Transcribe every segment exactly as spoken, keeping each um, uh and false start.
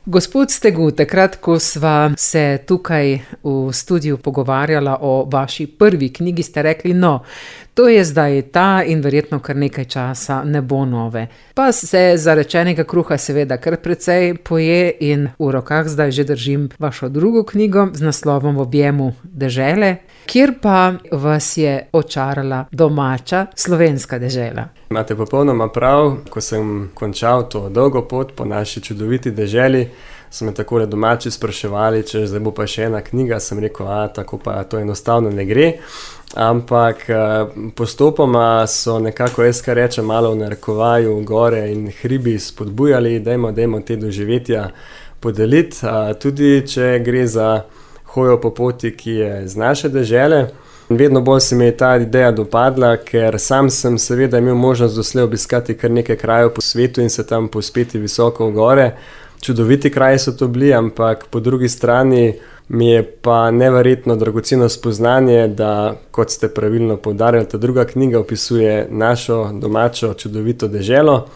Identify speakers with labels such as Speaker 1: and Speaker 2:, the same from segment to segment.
Speaker 1: Gospod Stegu, takrat, ko sva se tukaj v studiu pogovarjala o vaši prvi knjigi, ste rekli, no, to je zdaj ta in verjetno kar nekaj časa ne bo nove. Pa se zarečenega kruha seveda kar precej poje in v rokah zdaj že držim vašo drugo knjigo z naslovom V objemu dežele, kjer pa vas je očarala domača slovenska dežela.
Speaker 2: Imate popolnoma prav, ko sem končal to dolgo pot po naši čudoviti deželi, so me takole domači spraševali, če zdaj bo pa še ena knjiga, sem rekel, a tako pa to enostavno ne gre. Ampak postopoma so nekako, jaz kar rečem, malo v narekovaju gore in hribi spodbujali, dajmo, dajmo te doživetja podeliti, tudi če gre za hojo po poti, ki je z naše dežele. Vedno bolj se mi je ta ideja dopadla, ker sam sem seveda imel možnost doslej obiskati kar nekaj krajev po svetu in se tam povzpeti visoko v gore. Čudoviti kraji so to bili, ampak po drugi strani mi je pa neverjetno dragoceno spoznanje, da, kot ste pravilno poudarjali, ta druga knjiga opisuje našo domačo čudovito deželo.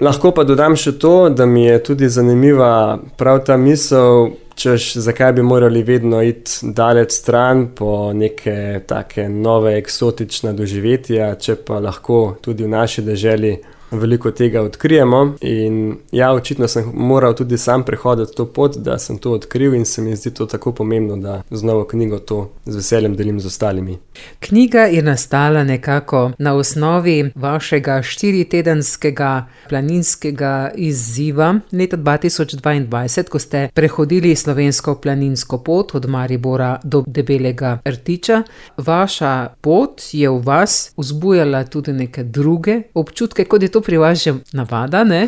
Speaker 2: Lahko pa dodam še to, da mi je tudi zanimiva prav ta misel, češ, zakaj bi morali vedno iti daleč stran po neke take nove eksotične doživetja, če pa lahko tudi v naši deželi veliko tega odkrijemo. In ja, očitno sem moral tudi sam prehoditi to pot, da sem to odkril in se mi zdi to tako pomembno, da z novo knjigo to z veseljem delim z ostalimi.
Speaker 1: Knjiga je nastala nekako na osnovi vašega štiritedenskega planinskega izziva leta dva tisoč dvaindvajset, ko ste prehodili slovensko planinsko pot od Maribora do Debelega Rtiča. Vaša pot je v vas vzbujala tudi neke druge občutke, kot je to pri vas že navada, ne?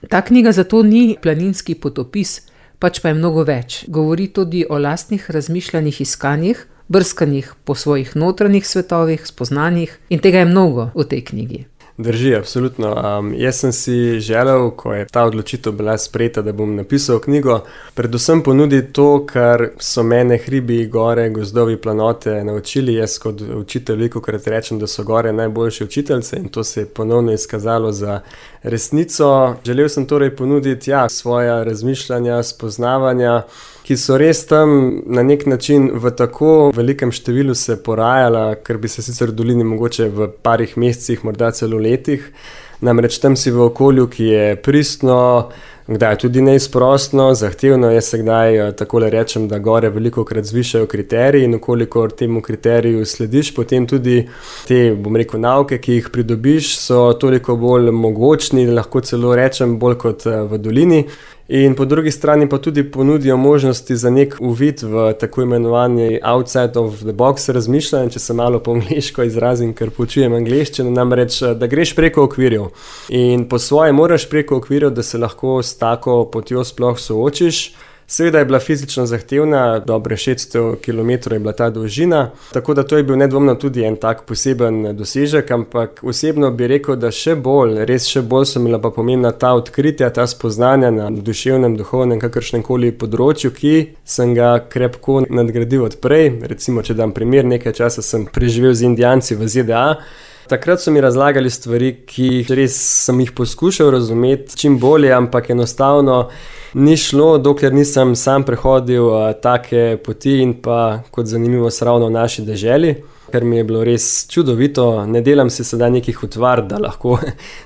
Speaker 1: Ta knjiga zato ni planinski potopis, pač pa je mnogo več. Govori tudi o lastnih razmišljanjih, iskanjih, brskanjih po svojih notranjih svetovih, spoznanjih in tega je mnogo v tej knjigi.
Speaker 2: Drži, absolutno. Um, jaz sem si želel, ko je ta odločitev bila sprejeta, da bom napisal knjigo, predvsem ponuditi to, kar so mene hribi, gore, gozdovi, planote naučili. Jaz kot učitelj velikokrat rečem, da so gore najboljši učiteljce in to se je ponovno izkazalo za resnico. Želel sem torej ponuditi ja, svoja razmišljanja, spoznavanja, ki so res tam na nek način v tako velikem številu se porajala, ker bi se sicer v dolini mogoče v parih mesecih, morda celo letih. Namreč tam si v okolju, ki je pristno, kdaj tudi neizprostno, zahtevno. Jaz se kdaj takole rečem, da gore velikokrat zvišajo kriteriji in okolikor temu kriteriju slediš, potem tudi te, bom rekel, nauke, ki jih pridobiš, so toliko bolj mogočni, lahko celo rečem, bolj kot v dolini. In po drugi strani pa tudi ponudijo možnosti za nek uvid v tako imenovani outside of the box razmišljanje, če se malo po angleško izrazim, ker poučujem angleščino, namreč, da greš preko okvirjev. In po svoje moraš preko okvirjev, da se lahko s tako potjo sploh soočiš. Seveda je bila fizično zahtevna, dobre šeststo kilometrov je bila ta dolžina, tako da to je bil nedvomno tudi en tak poseben dosežek, ampak osebno bi rekel, da še bolj, res še bolj so bila pa pomembna ta odkritja, ta spoznanja na duševnem, duhovnem, kakršnemkoli področju, ki sem ga krepko nadgradil od prej. Recimo, če dam primer, nekaj časa sem preživel z Indijanci v Z D A. Takrat so mi razlagali stvari, ki res sem jih poskušal razumeti čim bolje, ampak enostavno ni šlo, dokler nisem sam prehodil uh, take poti in pa kot zanimivost ravno v naši deželi, ker mi je bilo res čudovito. Ne delam si sedaj nekih utvar, da lahko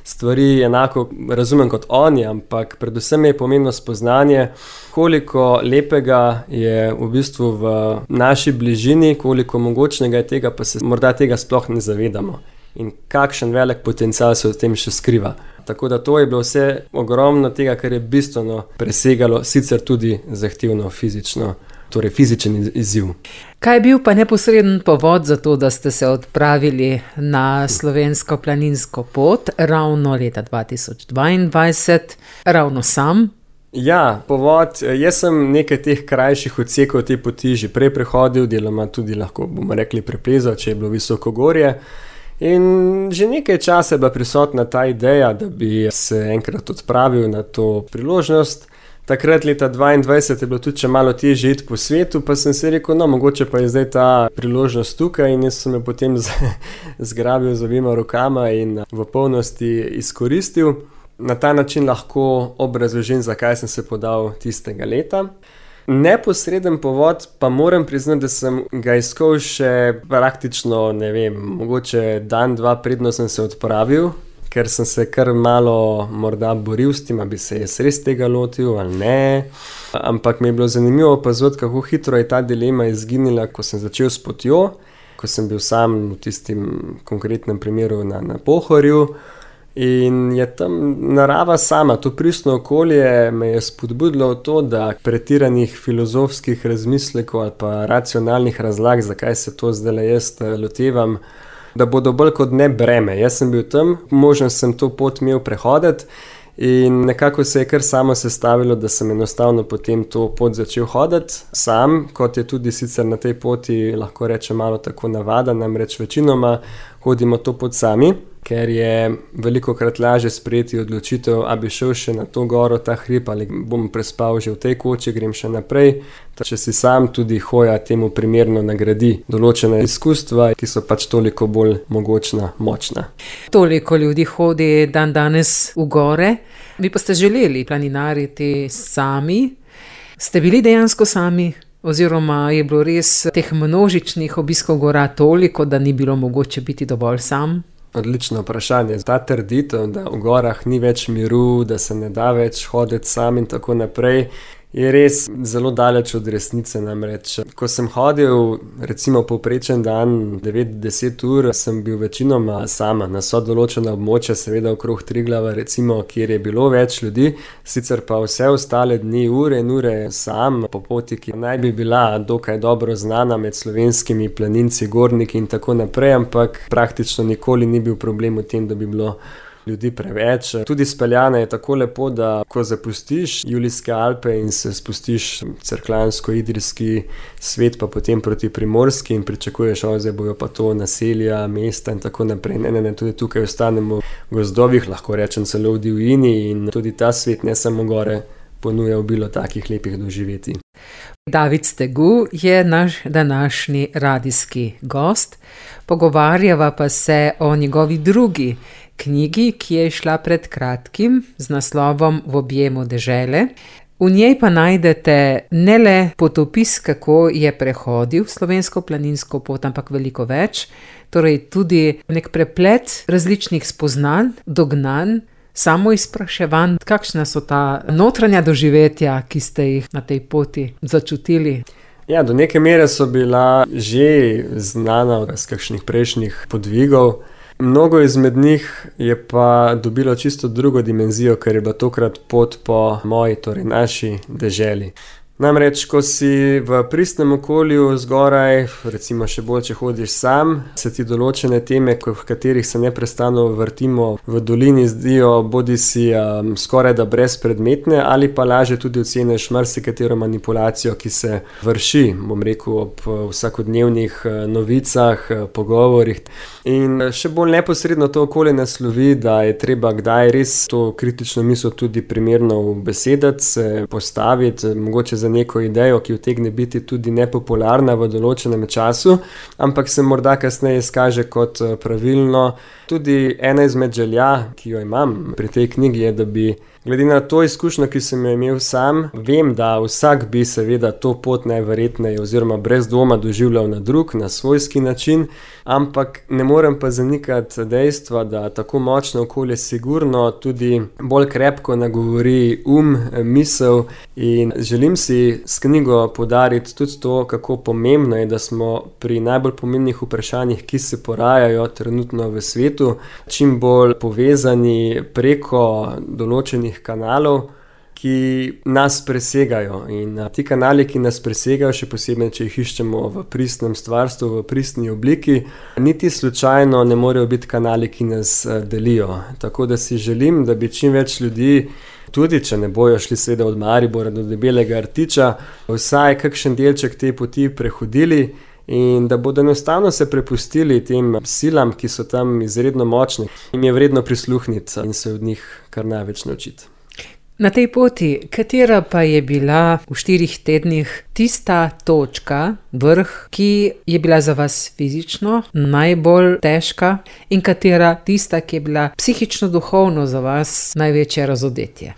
Speaker 2: stvari enako razumem kot oni, ampak predvsem je pomembno spoznanje, koliko lepega je v bistvu v naši bližini, koliko mogočnega je tega, pa se morda tega sploh ne zavedamo. In kakšen velik potencial se v tem še skriva. Tako da to je bilo vse ogromno tega, kar je bistveno presegalo, sicer tudi zahtevno fizično, torej fizičen izziv.
Speaker 1: Kaj je bil pa neposreden povod za to, da ste se odpravili na slovensko planinsko pot ravno leta dva tisoč dvaindvajset, ravno sam?
Speaker 2: Ja, povod, jaz sem nekaj teh krajših odsekov te poti že prej prehodil, deloma tudi lahko, bomo rekli, preplezal, če je bilo visoko gorje. In že nekaj časa je bila prisotna ta ideja, da bi se enkrat odpravil na to priložnost. Takrat leta dvaindvajset je bilo tudi še malo težje iti po svetu, pa sem si rekel, no, mogoče pa je zdaj ta priložnost tukaj in jaz sem jo potem zgrabil z obima rokama in v polnosti izkoristil. na ta način lahko obrazložim, zakaj sem se podal tistega leta. Neposreden povod pa moram priznati, da sem ga iskal še praktično, ne vem, mogoče dan, dva predno sem se odpravil, ker sem se kar malo morda boril s tem, a bi se jaz res tega lotil ali ne. Ampak mi je bilo zanimivo opazovati, kako hitro je ta dilema izginila, ko sem začel s potjo, ko sem bil sam v tistem konkretnem primeru na, na Pohorju. In je tam narava sama, to pristno okolje me je spodbudilo v to, da pretiranih filozofskih razmislekov ali pa racionalnih razlag, zakaj se to zdaj jaz lotevam, da bodo bolj kot ne breme. Jaz sem bil tam, možno sem to pot imel prehoditi in nekako se je kar samo sestavilo, da sem enostavno potem to pot začel hoditi sam, kot je tudi sicer na tej poti, lahko rečem, malo tako navada, namreč večinoma hodimo to pot sami, ker je velikokrat lažje sprejeti odločitev, a bi šel še na to goro, ta hrib, ali bom prespal že v tej koči, grem še naprej. Če si sam, tudi hoja temu primerno nagradi določena izkustva, ki so pač toliko bolj mogočna, močna.
Speaker 1: Toliko ljudi hodi dan danes v gore, vi pa ste želeli planinariti sami. Ste bili dejansko sami? Oziroma je bilo res teh množičnih obiskov gora toliko, da ni bilo mogoče biti dovolj sam?
Speaker 2: Odlično vprašanje. Ta trditev, da v gorah ni več miru, da se ne da več hoditi sam in tako naprej, je res zelo daleč od resnice. Namreč, ko sem hodil, recimo povprečen dan, devet do deset ur, sem bil večinoma sama, na so določena območja, seveda okrog Triglava, recimo, kjer je bilo več ljudi, sicer pa vse ostale dni, ure in ure sam, po poti, ki naj bi bila dokaj dobro znana med slovenskimi planinci, gorniki in tako naprej, ampak praktično nikoli ni bil problem v tem, da bi bilo ljudi preveč. Tudi speljana je tako lepo, da ko zapustiš Julijske Alpe in se spustiš cerkljansko-idrijski svet, pa potem proti Primorski in pričakuješ, o, zdaj bojo pa to naselja, mesta in tako naprej. Ne, ne, ne, tudi tukaj ostanemo v gozdovih, lahko rečem celo v divjini, in tudi ta svet, ne samo gore, ponuja obilo takih lepih doživetij.
Speaker 1: David Stegu je naš današnji radijski gost. Pogovarjava pa se o njegovi drugi knjigi, ki je šla pred kratkim z naslovom V objemu dežele. V njej pa najdete ne le potopis, kako je prehodil slovensko planinsko pot, ampak veliko več, torej tudi nek preplet različnih spoznanj, dognanj, samo izpraševanj, kakšna so ta notranja doživetja, ki ste jih na tej poti začutili.
Speaker 2: Ja, do neke mere so bila že znana iz kakšnih prejšnjih podvigov. Mnogo izmed njih je pa dobilo čisto drugo dimenzijo, ker je bila tokrat pot po moji, torej naši deželi. Namreč, ko si v pristnem okolju zgoraj, recimo še bolj, če hodiš sam, se ti določene teme, v katerih se neprestano vrtimo v dolini, zdijo bodi si um, skoraj da brezpredmetne, ali pa lažje tudi oceneš marsikatero manipulacijo, ki se vrši, bom rekel, ob vsakodnevnih novicah, pogovorih. In še bolj neposredno to okolje naslovi, da je treba kdaj res to kritično misel tudi primerno ubesediti, se postaviti, mogoče za neko idejo, ki utegne biti tudi nepopularna v določenem času, ampak se morda kasneje izkaže kot pravilno. Tudi ena izmed želja, ki jo imam pri tej knjigi, je, da bi glede na to izkušnjo, ki sem jo imel sam, vem, da vsak bi seveda to pot najverjetneje oziroma brez dvoma doživljal na drug, na svojski način, ampak ne morem pa zanikati dejstva, da tako močno okolje sigurno tudi bolj krepko nagovori um, misel, in želim si s knjigo poudariti tudi to, kako pomembno je, da smo pri najbolj pomembnih vprašanjih, ki se porajajo trenutno v svetu, čim bolj povezani preko določenih kanalov, ki nas presegajo. In ti kanali, ki nas presegajo, še posebej, če jih iščemo v pristnem stvarstvu, v pristni obliki, niti slučajno ne morejo biti kanali, ki nas delijo. Tako da si želim, da bi čim več ljudi, tudi če ne bojo šli seveda od Maribora do Debelega Rtiča, vsaj kakšen delček te poti prehodili in da bodo enostavno se prepustili tem silam, ki so tam izredno močne. Jim je vredno prisluhniti in se od njih kar največ naučiti.
Speaker 1: Na tej poti, katera pa je bila v štirih tednih tista točka, vrh, ki je bila za vas fizično najbolj težka in katera tista, ki je bila psihično, duhovno za vas največje razodetje?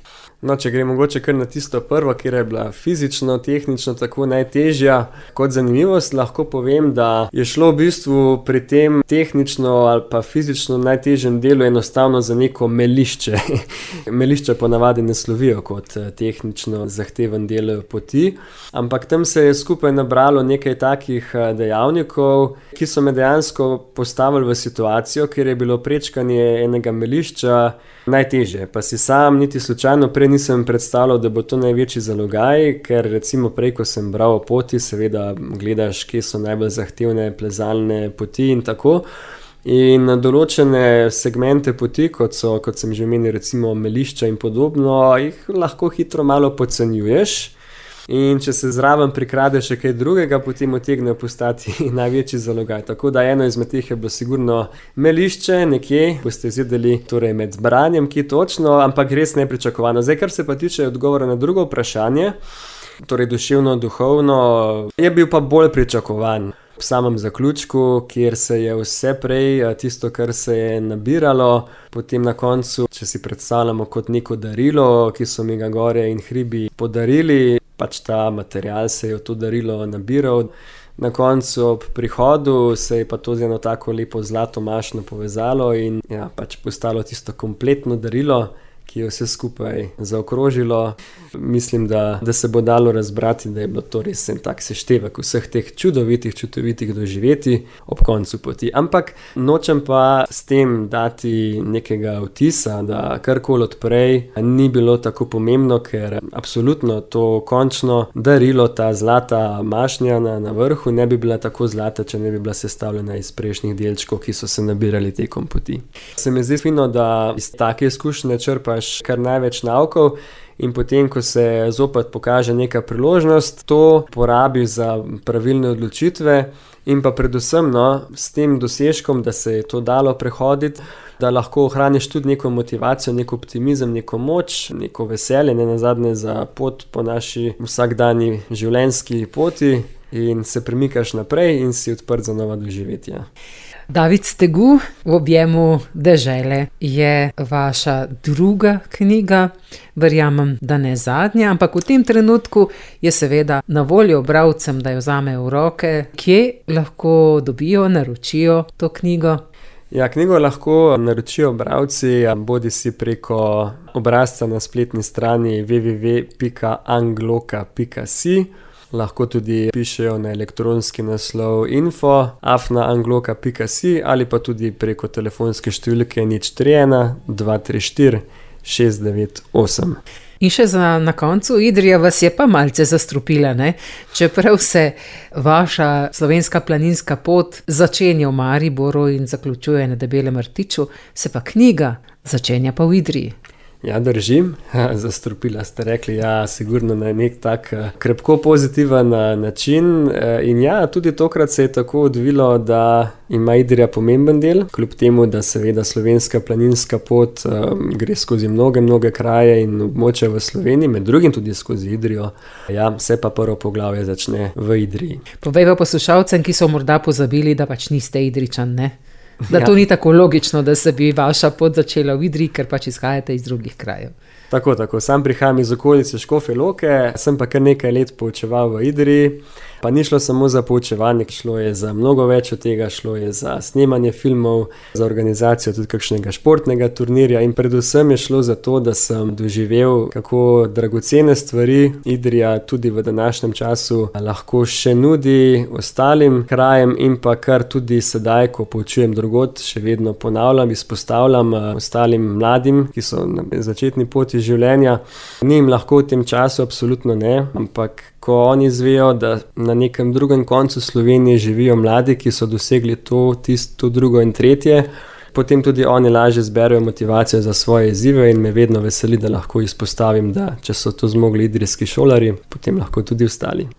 Speaker 2: No, če gre mogoče kar na tisto prvo, kjer je bila fizično, tehnično tako najtežja. Kot zanimivost lahko povem, da je šlo v bistvu pri tem tehnično ali pa fizično najtežjem delu enostavno za neko melišče. Melišče ponavadi ne slovijo kot tehnično zahteven del poti, ampak tam se je skupaj nabralo nekaj takih dejavnikov, ki so me dejansko postavili v situacijo, kjer je bilo prečkanje enega melišča najtežje. Pa si sam niti slučajno prej nisem predstavljal, da bo to največji zalogaj, ker recimo prej, ko sem bral o poti, seveda gledaš, kje so najbolj zahtevne plezalne poti in tako. In določene segmente poti, kot so, kot sem že omenil, recimo melišča in podobno, jih lahko hitro malo podcenjuješ. In če se zraven prikrade še kaj drugega, potem utegne postati največji zalogaj. Tako da eno izmed teh je bilo sigurno melišče nekje, boste izvedeli torej med branjem, ki točno, ampak res nepričakovano. Zdaj, kar se pa tiče odgovora na drugo vprašanje, torej duševno, duhovno, je bil pa bolj pričakovan. V samem zaključku, kjer se je vse prej, tisto, kar se je nabiralo, potem na koncu, če si predstavljamo kot neko darilo, ki so mi ga gore in hribi podarili, pač ta material se je v to darilo nabiral. Na koncu ob prihodu se je pa to z eno tako lepo zlato mašno povezalo in ja, pač postalo tisto kompletno darilo, ki je vse skupaj zaokrožilo. Mislim, da, da se bo dalo razbrati, da je bilo to res en tak seštevek vseh teh čudovitih, čudovitih doživeti ob koncu poti. Ampak nočem pa s tem dati nekega vtisa, da karkoli odprej ni bilo tako pomembno, ker absolutno to končno darilo, ta zlata mašnja na, na vrhu, ne bi bila tako zlata, če ne bi bila sestavljena iz prejšnjih delčkov, ki so se nabirali tekom poti. Se mi zdi fino, da iz take izkušnje črpaš kar največ naukov in potem, ko se zopet pokaže neka priložnost, to porabi za pravilne odločitve in pa predvsem no, s tem dosežkom, da se je to dalo prehoditi, da lahko ohraniš tudi neko motivacijo, neko optimizem, neko moč, neko veselje, ne nazadnje za pot po naši vsakdanji življenjski poti in se premikaš naprej in si odprt za nova doživetja.
Speaker 1: David Stegu, V objemu dežele je vaša druga knjiga, verjamem, da ne zadnja, ampak v tem trenutku je seveda na voljo bralcem, da jo vzamejo v roke. Kje lahko dobijo, naročijo to knjigo?
Speaker 2: Ja, knjigo lahko naročijo bralci, bodi si preko obrazca na spletni strani w w w pika angloka pika si. Lahko tudi pišejo na elektronski naslov info afna angloka pika si ali pa tudi preko telefonske številke nič tri ena dva tri štiri šest devet osem.
Speaker 1: In še za na koncu, Idrija vas je pa malce zastrupila, ne? Čeprav se vaša slovenska planinska pot začenja v Mariboru in zaključuje na Debelem rtiču, se pa knjiga začenja pa v Idriji.
Speaker 2: Ja, držim. Zastrupila ste rekli, ja, sigurno na nek tak krepko pozitiven način. In ja, tudi tokrat se je tako odvilo, da ima Idrija pomemben del, kljub temu, da seveda slovenska planinska pot um, gre skozi mnoge, mnoge kraje in območja v Sloveniji, med drugim tudi skozi Idrijo. Ja, se pa prvo poglavje začne v Idriji.
Speaker 1: Povej pa poslušalcem, ki so morda pozabili, da pač niste Idrijčan, ne? Da to ja. Ni tako logično, da se bi vaša pot začela v Idriji, ker pač izhajate iz drugih krajev.
Speaker 2: Tako, tako. Sam prihajam iz okolice Škofje Loke, sem pa kar nekaj let poučeval v Idriji, pa ni šlo samo za poučevanje, šlo je za mnogo več od tega, šlo je za snemanje filmov, za organizacijo tudi kakšnega športnega turnirja in predvsem je šlo za to, da sem doživel, kako dragocene stvari Idrija tudi v današnjem času lahko še nudi ostalim krajem in pa kar tudi sedaj, ko poučujem drugod, še vedno ponavljam, izpostavljam ostalim mladim, ki so na začetni poti življenja. Ni jim lahko v tem času, absolutno ne, ampak ko oni izvejo, da na nekem drugem koncu Slovenije živijo mladi, ki so dosegli to, tisto, drugo in tretje, potem tudi oni lažje zberejo motivacijo za svoje izzive in me vedno veseli, da lahko izpostavim, da če so to zmogli idrijski šolarji, potem lahko tudi ostali.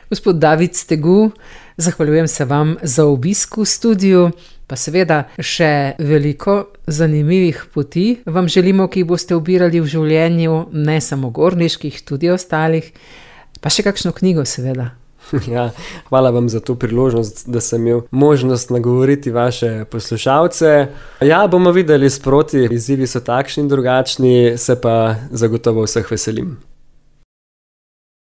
Speaker 1: Gospod David Stegu, zahvaljujem se vam za obisk v studiu pa seveda še veliko zanimivih poti vam želimo, ki jih boste ubirali v življenju, ne samo gorniških, tudi ostalih, pa še kakšno knjigo seveda.
Speaker 2: Ja, hvala vam za to priložnost, da sem imel možnost nagovoriti vaše poslušalce. Ja, bomo videli sproti, izzivi so takšni in drugačni, se pa zagotovo vseh veselim.